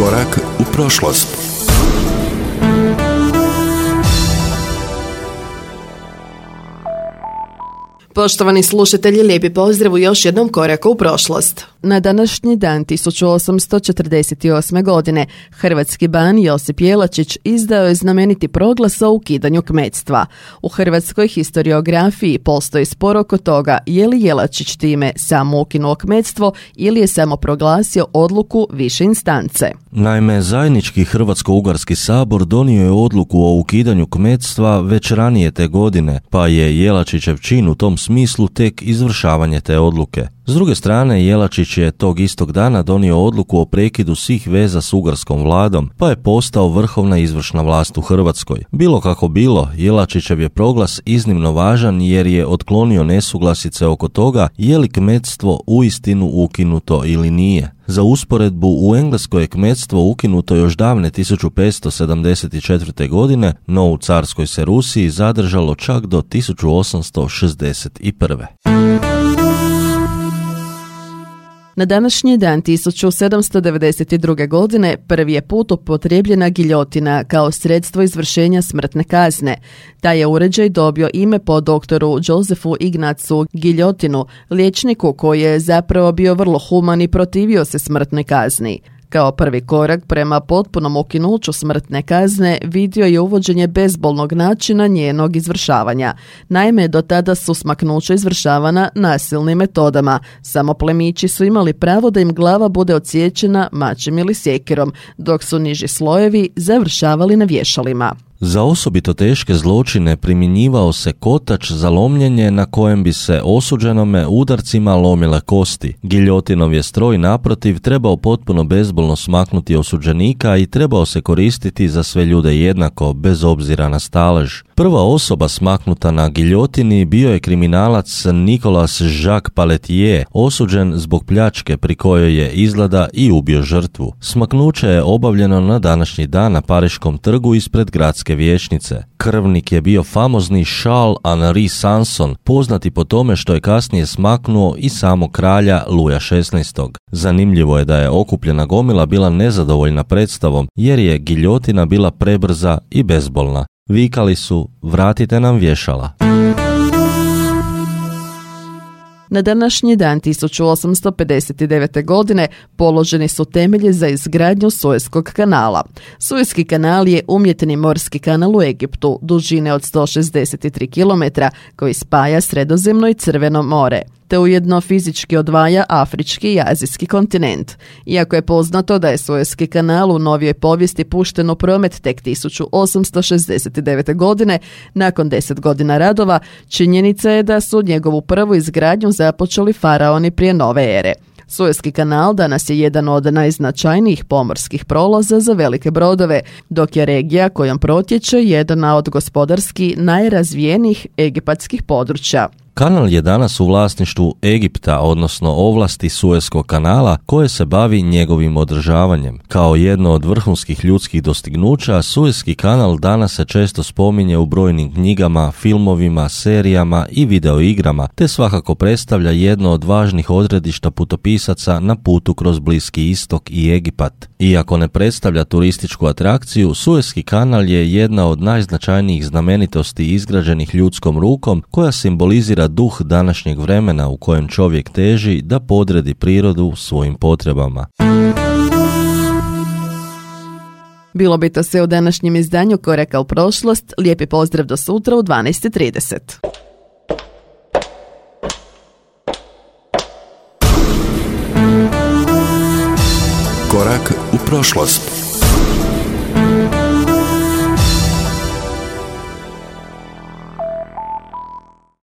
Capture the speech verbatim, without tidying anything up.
Korak u prošlost. Poštovani slušatelji, lijepi pozdrav u još jednom koraku u prošlost. Na današnji dan tisuću osamsto četrdeset osme. godine hrvatski ban Josip Jelačić izdao je znameniti proglas o ukidanju kmetstva. U hrvatskoj historiografiji postoji spor oko toga je li Jelačić time samo ukinuo kmetstvo ili je samo proglasio odluku više instance. Naime, zajednički Hrvatsko-Ugarski sabor donio je odluku o ukidanju kmetstva već ranije te godine, pa je Jelačićev čin u tom smislu tek izvršavanje te odluke. S druge strane, Jelačić je tog istog dana donio odluku o prekidu svih veza s ugarskom vladom, pa je postao vrhovna izvršna vlast u Hrvatskoj. Bilo kako bilo, Jelačićev je proglas iznimno važan jer je otklonio nesuglasice oko toga je li kmetstvo uistinu ukinuto ili nije. Za usporedbu, u Engleskoj je kmetstvo ukinuto još davne tisuću petsto sedamdeset četvrte. godine, no u carskoj se Rusiji zadržalo čak do tisuću osamsto šezdeset prve. Na današnji dan tisuću sedamsto devedeset druge. godine prvi je put upotrijebljena giljotina kao sredstvo izvršenja smrtne kazne. Taj je uređaj dobio ime po doktoru Josefu Ignacu Giljotinu, liječniku koji je zapravo bio vrlo human i protivio se smrtnoj kazni. Kao prvi korak prema potpunom ukinuću smrtne kazne vidio je uvođenje bezbolnog načina njenog izvršavanja. Naime, do tada su smaknuća izvršavana nasilnim metodama. Samo plemići su imali pravo da im glava bude odsječena mačem ili sjekirom, dok su niži slojevi završavali na vješalima. Za osobito teške zločine primjenjivao se kotač za lomljenje na kojem bi se osuđenome udarcima lomile kosti. Giljotinov je stroj naprotiv trebao potpuno bezbolno smaknuti osuđenika i trebao se koristiti za sve ljude jednako, bez obzira na stalež. Prva osoba smaknuta na giljotini bio je kriminalac Nicolas Jacques Pelletier, osuđen zbog pljačke pri kojoj je izgleda i ubio žrtvu. Smaknuće je obavljeno na današnji dan na Pariškom trgu ispred gradske vijećnice. Krvnik je bio famozni Charles Henri Sanson, poznati po tome što je kasnije smaknuo i samo kralja Luja šesnaestog. Zanimljivo je da je okupljena gomila bila nezadovoljna predstavom jer je giljotina bila prebrza i bezbolna. Vikali su, vratite nam vješala. Na današnji dan tisuću osamsto pedeset devete. godine položeni su temelji za izgradnju Sueskog kanala. Sueski kanal je umjetni morski kanal u Egiptu, dužine od sto šezdeset tri kilometra, koji spaja Sredozemno i Crveno more, te ujedno fizički odvaja afrički i azijski kontinent. Iako je poznato da je Sueski kanal u novijoj povijesti pušten u promet tek tisuću osamsto šezdeset devete. godine, nakon deset godina radova, činjenica je da su njegovu prvu izgradnju započeli faraoni prije nove ere. Sueski kanal danas je jedan od najznačajnijih pomorskih prolaza za velike brodove, dok je regija kojom protječe jedna od gospodarski najrazvijenijih egipatskih područja. Kanal je danas u vlasništvu Egipta, odnosno ovlasti Sueskog kanala, koje se bavi njegovim održavanjem. Kao jedno od vrhunskih ljudskih dostignuća, Sueski kanal danas se često spominje u brojnim knjigama, filmovima, serijama i videoigrama, te svakako predstavlja jedno od važnih odredišta putopisaca na putu kroz Bliski istok i Egipat. Iako ne predstavlja turističku atrakciju, Sueski kanal je jedna od najznačajnijih znamenitosti izgrađenih ljudskom rukom, koja simbolizira duh današnjeg vremena u kojem čovjek teži da podredi prirodu svojim potrebama. Bilo bi to sve u današnjem izdanju Koraka u prošlost. Lijepi pozdrav do sutra u dvanaest i trideset. Korak u prošlost.